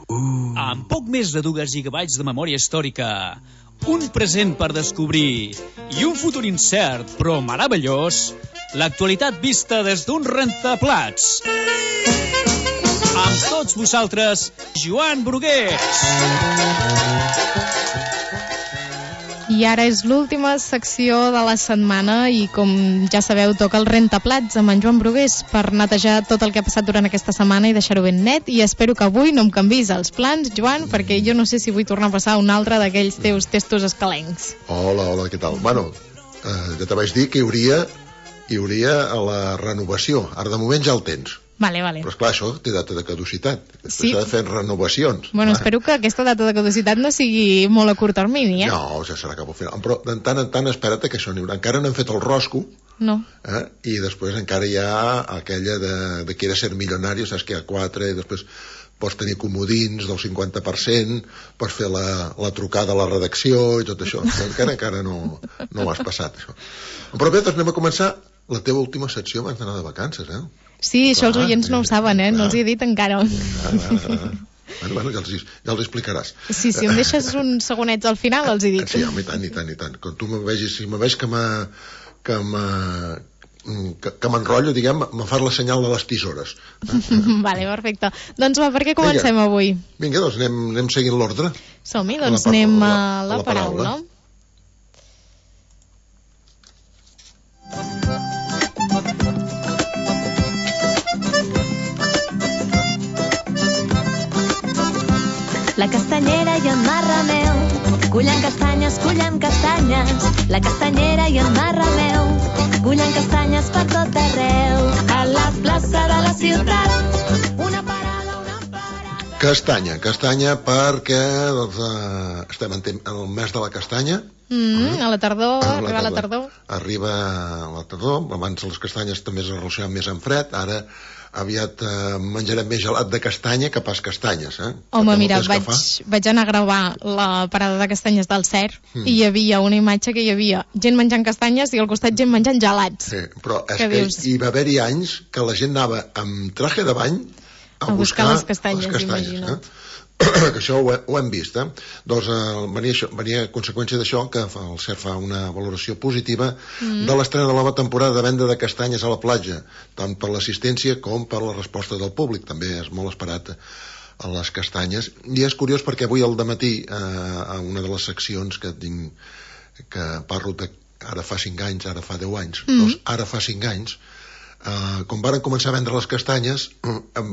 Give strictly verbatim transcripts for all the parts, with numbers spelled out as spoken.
Uh. Amb poc més de dues gigabytes de memòria històrica, un present per descobrir i un futur incert però meravellós, l'actualitat vista des d'un rentaplats. Amb tots vosaltres, Joan Brugués. I ara és l'última secció de la setmana i, com ja sabeu, toca el rentaplats amb en Joan Brugués per netejar tot el que ha passat durant aquesta setmana i deixar-ho ben net. I espero que avui no em canvis els plans, Joan, perquè jo no sé si vull tornar a passar un altre d'aquells teus testos escalencs. Hola, hola, què tal? Bueno, eh, ja te vaig dir que hi hauria, hi hauria a la renovació. Ara de moment ja el tens. Vale, vale. Però esclar, això té data de caducitat. Després sí. s'ha de fer renovacions. Bueno, va. Espero que aquesta data de caducitat no sigui molt a curt termini, eh? No, ja serà cap al final. Però de tant en tant espera't que això n'hi haurà. Encara no hem fet el rosco. No. Eh? I després encara hi ha aquella de, de quiere ser milionari, saps que hi ha quatre, i després pots tenir comodins del cinquanta per cent, pots fer la, la trucada a la redacció i tot això. Encara encara no, no ho has passat, això. Però bé, doncs anem a començar la teva última secció abans d'anar de vacances, eh? Sí, això els oients no ho saben, eh? No els hi he dit encara. Ah, ah, ah. Bueno, bueno, ja els, ja els explicaràs. Sí, si em deixes uns segonets al final, els hi dic. Sí, home, i tant, i tant, i tant. Quan tu me vegis, si me veig que me, que me, que, que m'enrotllo, diguem, me fas la senyal de les tisores. Vale, perfecte. Doncs va, per què comencem Vinga. avui? Vinga, doncs anem, anem seguint l'ordre. Som-hi, doncs la, anem a la, la, la paraula. paraula. La castanyera i en Marrameu cullen castanyes, cullen castanyes. La castanyera i en Marrameu cullen castanyes per tot arreu. A la plaça de la ciutat, una parada, una parada. Castanya, castanya perquè doncs, eh, estem en, en el mes de la castanya. Mm, a la tardor, a arriba la tardor. Arriba la tardor, abans les castanyes també es relacionaven més amb fred, ara aviat eh, menjarem més gelat de castanya que pas castanyes, eh? Home, mira, vaig, vaig anar a gravar la parada de castanyes del Cer mm. i hi havia una imatge que hi havia gent menjant castanyes i al costat gent menjant gelats. Sí, però és que, que dius... hi va haver-hi anys que la gent anava amb traje de bany a, a buscar, buscar les castanyes, les castanyes imagina't. Eh? Que això ho, ho hem vist, eh? Doncs eh, venia, això, venia a conseqüència d'això que el C E R fa una valoració positiva mm. de l'estrena de la nova temporada de venda de castanyes a la platja, tant per l'assistència com per la resposta del públic. També és molt esperat a les castanyes. I és curiós perquè avui al dematí, eh, a una de les seccions que tinc, que parlo de ara fa cinc anys, ara fa deu anys, mm. doncs ara fa cinc anys, Uh, com varen començar a vendre les castanyes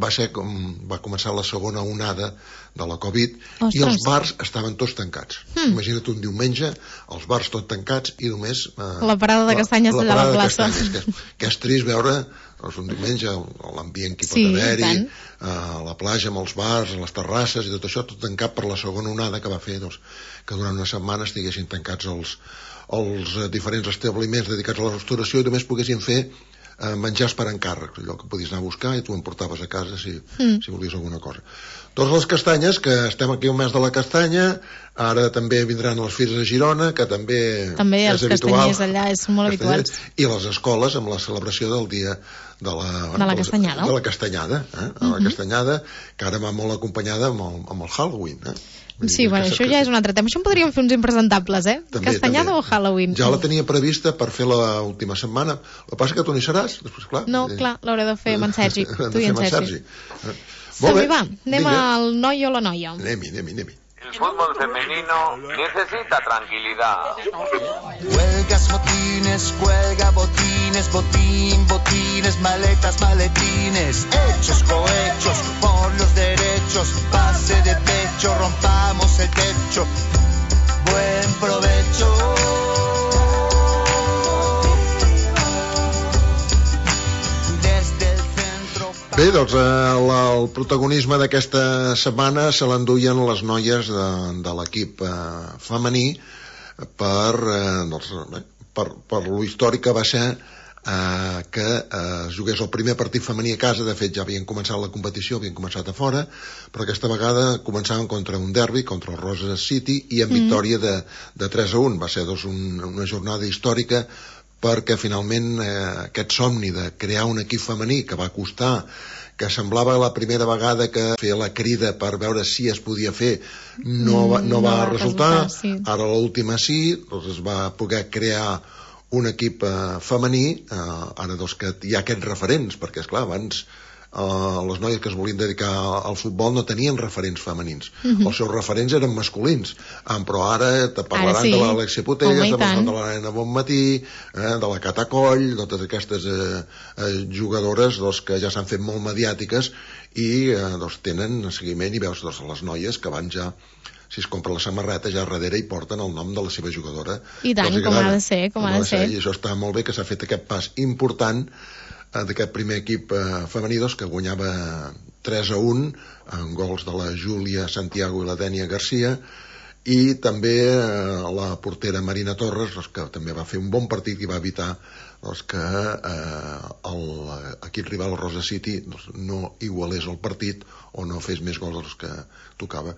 va ser com va començar la segona onada de la Covid. Ostres. I els bars estaven tots tancats. mm. Imagina't un diumenge els bars tots tancats i només uh, la parada de castanyes la, allà a la plaça, castanyes, que, és, que és trist veure doncs, un diumenge l'ambient que hi pot sí, haver-hi uh, a la platja, amb els bars, a les terrasses i tot això, tot tancat per la segona onada que va fer doncs, que durant una setmana estiguessin tancats els, els uh, diferents establiments dedicats a la restauració i només poguessin fer Uh, menjars per encàrrec, allò que podies anar a buscar i tu em portaves a casa si, mm. si volies alguna cosa. Doncs les castanyes, que estem aquí un mes de la castanya, ara també vindran les fires a Girona, que també, també és els habitual. Castanyers allà són molt habituals. I les escoles amb la celebració del dia de la, de la castanyada. De la castanyada, eh? Mm-hmm. La castanyada, que ara va molt acompanyada amb el, amb el Halloween, eh? Sí, bueno, això ja és un altre tema. Això en podríem fer uns impresentables, eh? També, Castanyada també. o Halloween? Ja la tenia prevista per fer l'última setmana. El que passa que tu no hi seràs. Després, clar, no, eh... clar, l'hauré de fer amb en Sergi. Tu i en Sergi. Eh? Som-hi, va. Anem Vinga. al noi o la noia. Anem-hi, anem-hi, anem-hi. El fútbol femenino necesita tranquilidad. Huelgas, motines, cuelga, botines, botín, botines, maletas, maletines, hechos, cohechos, por los derechos, pase de pecho, rompamos el techo, buen provecho. Bé, doncs el, el protagonisme d'aquesta setmana se l'enduien les noies de, de l'equip eh, femení per, eh, doncs, per, per lo històric que va ser eh, que eh, es jugués el primer partit femení a casa. De fet ja havien començat la competició, havien començat a fora, però aquesta vegada començaven contra un derbi, contra el Roses City, i en mm. victòria de, de tres a un. Va ser doncs, un, una jornada històrica perquè finalment eh, aquest somni de crear un equip femení que va costar que semblava la primera vegada que feia la crida per veure si es podia fer, no va, no no va va resultar, resultar, sí. Ara l'última sí, doncs es va poder crear un equip eh, femení, eh, ara doncs que hi ha aquests referents, perquè esclar, abans Uh, les noies que es volien dedicar al futbol no tenien referents femenins. Uh-huh. Els seus referents eren masculins. Um, però ara te parlaran ara sí. de l'Alexia Putellas, de, de la Nena Bonmatí, eh, de la Cata Coll, de totes aquestes eh, eh, jugadores doncs, que ja s'han fet molt mediàtiques i eh, doncs, tenen seguiment i veus doncs, les noies que van ja, si es compra la samarreta, ja darrere hi porten el nom de la seva jugadora. I tant, com ha de ser, com, com ha de ser. I això està molt bé, que s'ha fet aquest pas important d'aquest primer equip eh, femení doncs, que guanyava tres a un amb gols de la Júlia Santiago i la Dènia Garcia, i també eh, la portera Marina Torres doncs, que també va fer un bon partit i va evitar doncs, que eh, l'equip rival Rosa City doncs, no igualés el partit o no fes més gols dels que tocava.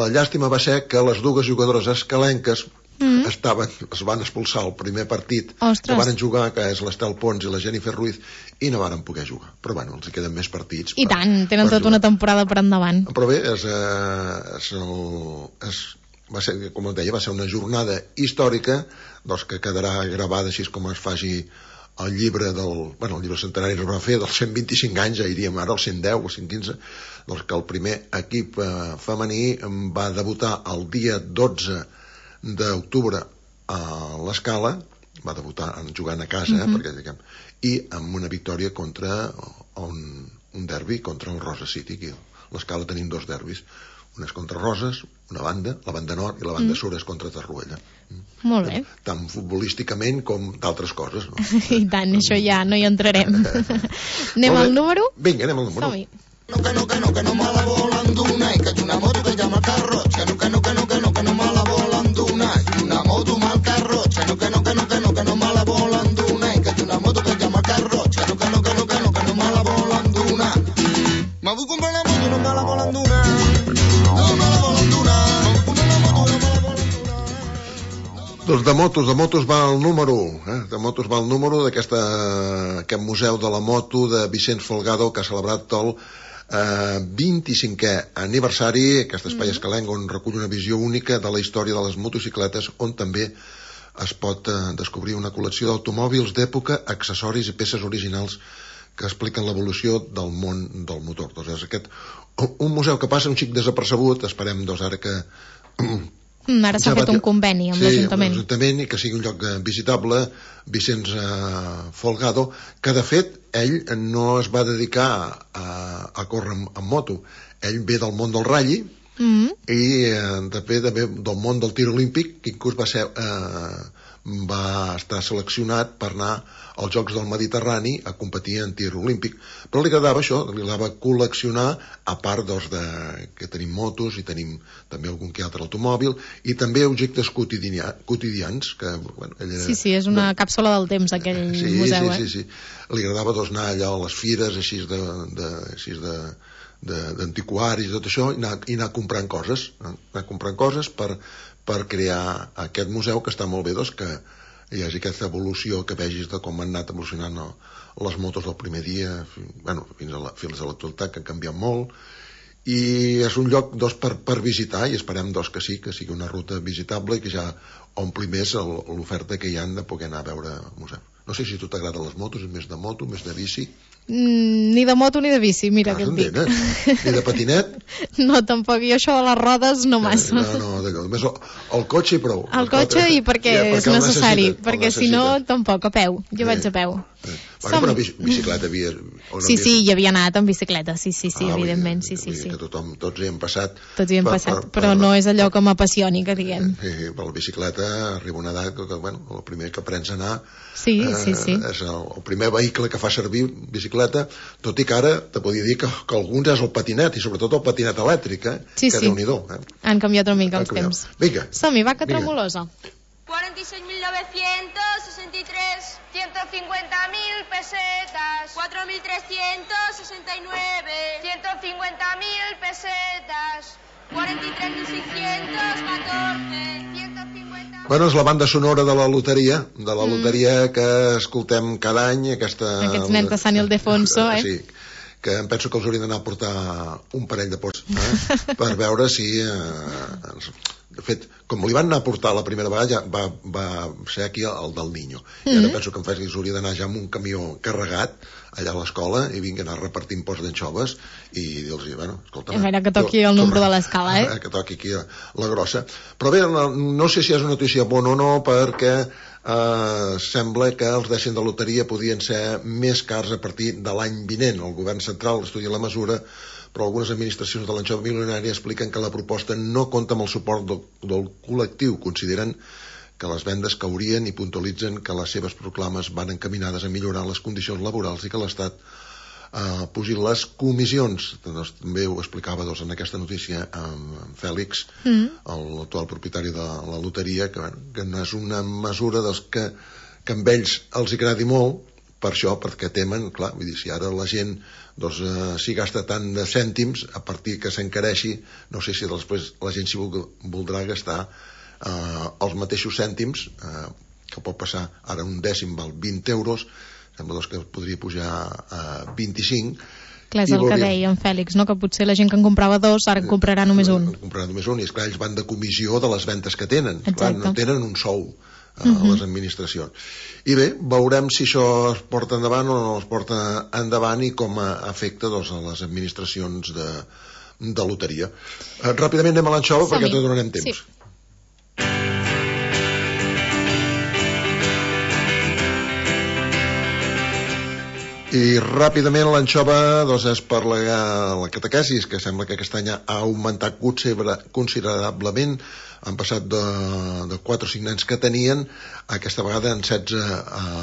La llàstima va ser que les dues jugadores escalenques Mm. estaven, es van expulsar el primer partit. Ostres. Que van jugar, que és l'Estel Pons i la Jennifer Ruiz, i no varen poder jugar, però bueno, els hi queden més partits i per, tant, tenen tota una temporada per endavant. Però bé, és, eh, és el, és, va ser, com et deia, va ser una jornada històrica doncs, que quedarà gravada així com es faci el llibre del, bueno, el llibre centenari es va fer dels cent vint-i-cinc anys, ja iríem ara als cent deu o cent quinze, doncs que el primer equip eh, femení va debutar el dia dotze d'octubre a l'Escala, va debutar jugant a casa, uh-huh. eh, perquè, diguem, i amb una victòria contra un, un derbi contra el Rosa City. Aquí a l'Escala tenim dos derbis, un és contra Roses, una banda, la banda nord, i la banda mm. sur és contra Tarruella. Mm. Molt bé. Tant futbolísticament com d'altres coses. No? I tant, això ja no hi entrarem. Anem al número? Vinga, anem al número. Som-hi. No, que no, que no, que no me la volen donar, i que hi una moto que llama carro, que no, que no, que no, que no, que no me la volen donar, i una moto mal carro, que no, que no, que no, que no, que no me la volen donar, i que hi una moto que llama carro, que no, que no, que no, que no, que no me la volen donar. Me vull comprar la moto, no me la volen donar, no me la volen donar, me vull comprar la moto, no me la volen donar. Doncs de motos, de motos va el número, eh? de motos va el número d'aquest museu de la moto de Vicenç Folgado, que ha celebrat el Uh, vint-i-cinquè aniversari, aquest espai mm-hmm. escalenc on recull una visió única de la història de les motocicletes, on també es pot uh, descobrir una col·lecció d'automòbils d'època, accessoris i peces originals que expliquen l'evolució del món del motor. Doncs és aquest, un museu que passa un xic desapercebut, esperem doncs ara que Mm, ara s'ha ja fet un conveni amb sí, l'Ajuntament. Sí, l'Ajuntament, i que sigui un lloc visitable, Vicenç eh, Folgado, que de fet ell no es va dedicar a, a córrer amb, amb moto. Ell ve del món del ratlli mm. i eh, també, també del món del tir olímpic, que inclús va ser... Eh, va estar seleccionat per anar als Jocs del Mediterrani a competir en tir olímpic, però li agradava això, li agradava col·leccionar, a part doncs, de, que tenim motos i tenim també algun que altre automòbil, i també objectes quotidià, quotidians que, bueno, ella, sí, sí, és una de... càpsula del temps aquell sí, museu, sí, eh? sí, sí. Li agradava doncs, anar allà a les fires així de, de, així de d'antiquaris i tot això, i anar, i anar comprant coses, anar comprant coses per per crear aquest museu, que està molt bé doncs, que hi hagi aquesta evolució, que vegis de com han anat evolucionant no, les motos del primer dia bueno, fins a la, fins a l'actualitat, que han canviat molt, i és un lloc doncs, per, per visitar, i esperem doncs, que sí, que sigui una ruta visitable i que ja ompli més l'oferta que hi han de poder anar a veure el museu. No sé si a tu t'agraden les motos, més de moto, més de bici. Mm, ni de moto ni de bici, mira, ah, què et dic. Ni de patinet? No, tampoc, jo això de les rodes no massa. No, no, no només el, el cotxe i prou. El cotxe i perquè, ja, perquè és necessari, perquè si no, tampoc, a peu. Jo sí. vaig a peu. Sí. Bueno, però bicicleta havia... Sí, sí, hi havia anat amb bicicleta, sí, sí, sí, ah, evidentment, sí, sí, sí. Que tothom, tots hi hem passat. Tots hi hem per, passat, per, però per, no és allò que m'apassioni, que diguem. Sí, per la bicicleta arriba una edat que, bueno, el primer que aprens a anar sí, eh, sí, sí. és el, el primer vehicle que fa servir bicicleta, tot i que ara te podia dir que, que alguns és el patinet, i sobretot el patinet elèctric, eh? Sí, que sí. Déu-n'hi-do. Eh? Han canviat una mica els temps. Vinga. Som-hi, va, que tremolosa. cuarenta y seis mil novecientos sesenta y tres, ciento cincuenta mil pesetas. cuatro mil trescientos sesenta y nueve, ciento cincuenta mil pesetas. cuarenta y tres mil seiscientos catorce, ciento cincuenta... Bueno, és la banda sonora de la loteria, de la loteria mm. que escoltem cada any, aquesta... Aquests nens de Sant Ildefonso, eh? Sí, que em penso que els haurien d'anar a portar un parell de pots eh, per veure si eh, de fet, com li van anar a portar la primera vegada ja va, va ser aquí el del Niño i ara mm-hmm. penso que em faig que s'hauria d'anar ja amb un camió carregat allà a l'escola i vinguin a repartir pots d'anxoves i dir-los, bueno, escolta... A veure que toqui el número de l'escala, eh? Que toqui aquí la grossa. Però bé, no, no sé si és una notícia bona o no, perquè eh, sembla que els dècims de loteria podien ser més cars a partir de l'any vinent. El govern central estudia la mesura, però algunes administracions de l'anxova milionària expliquen que la proposta no compta amb el suport del, del col·lectiu. Consideren que les vendes caurien i puntualitzen que les seves proclames van encaminades a millorar les condicions laborals i que l'Estat eh, pugi les comissions. Doncs, també ho explicava doncs, en aquesta notícia en Fèlix, mm. l'actual propietari de la loteria, que, que no és una mesura doncs, que, que amb ells els agradi molt, per això, perquè temen, clar, vull dir, si ara la gent doncs, eh, si gasta tant de cèntims, a partir que s'encareixi, no sé si després la gent s'hi voldrà gastar Uh, els mateixos cèntims uh, que pot passar ara un dècim val vint euros, sembla doncs, que podria pujar a vint-i-cinc. Clar, és el que deia en Fèlix, no? Que potser la gent que en comprava dos ara en comprarà només un. En comprarà només un, i esclar, ells van de comissió de les ventes que tenen. Clar, no tenen un sou uh, uh-huh. a les administracions. I bé, veurem si això es porta endavant o no es porta endavant i com afecta doncs, a les administracions de, de loteria. Uh, ràpidament anem a l'anxova perquè te donarem temps. Sí. I ràpidament l'anxova doncs, és per la, la catequesis, que sembla que aquest any ha augmentat considerablement. Han passat de, de quatre o cinc nens que tenien, aquesta vegada en setze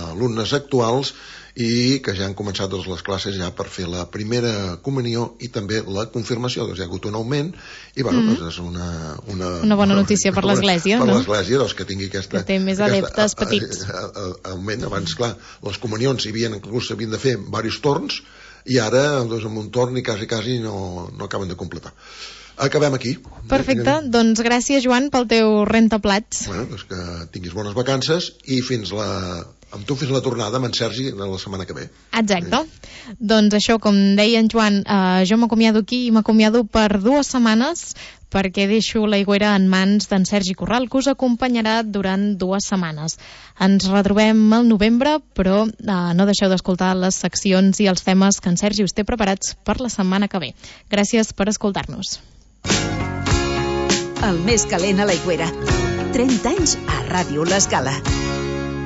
alumnes actuals, i que ja han començat doncs, les classes ja per fer la primera comunió i també la confirmació. Doncs hi ha hagut un augment i bueno, mm. doncs és una, una, una bona notícia per l'Església, per no? l'església doncs, que tingui aquesta, que té més adeptes aquesta, petits. A, a, a, augment. Abans, clar, les comunions hi havien, inclús s'havien de fer diversos torns i ara doncs, amb un torn i quasi, quasi no, no acaben de completar. Acabem aquí. Perfecte, doncs gràcies Joan pel teu rentaplats. Bueno, doncs que tinguis bones vacances i fins la... amb tu fins la tornada amb en Sergi la setmana que ve. Exacte. Sí. Doncs això, com deia en Joan, eh, jo m'acomiado aquí i m'acomiado per dues setmanes perquè deixo l'Aigüera en mans d'en Sergi Corral, que us acompanyarà durant dues setmanes. Ens retrobem al novembre, però eh, no deixeu d'escoltar les seccions i els temes que en Sergi us té preparats per la setmana que ve. Gràcies per escoltar-nos. El més calent a l'Aigüera. trenta anys a Ràdio L'Escala.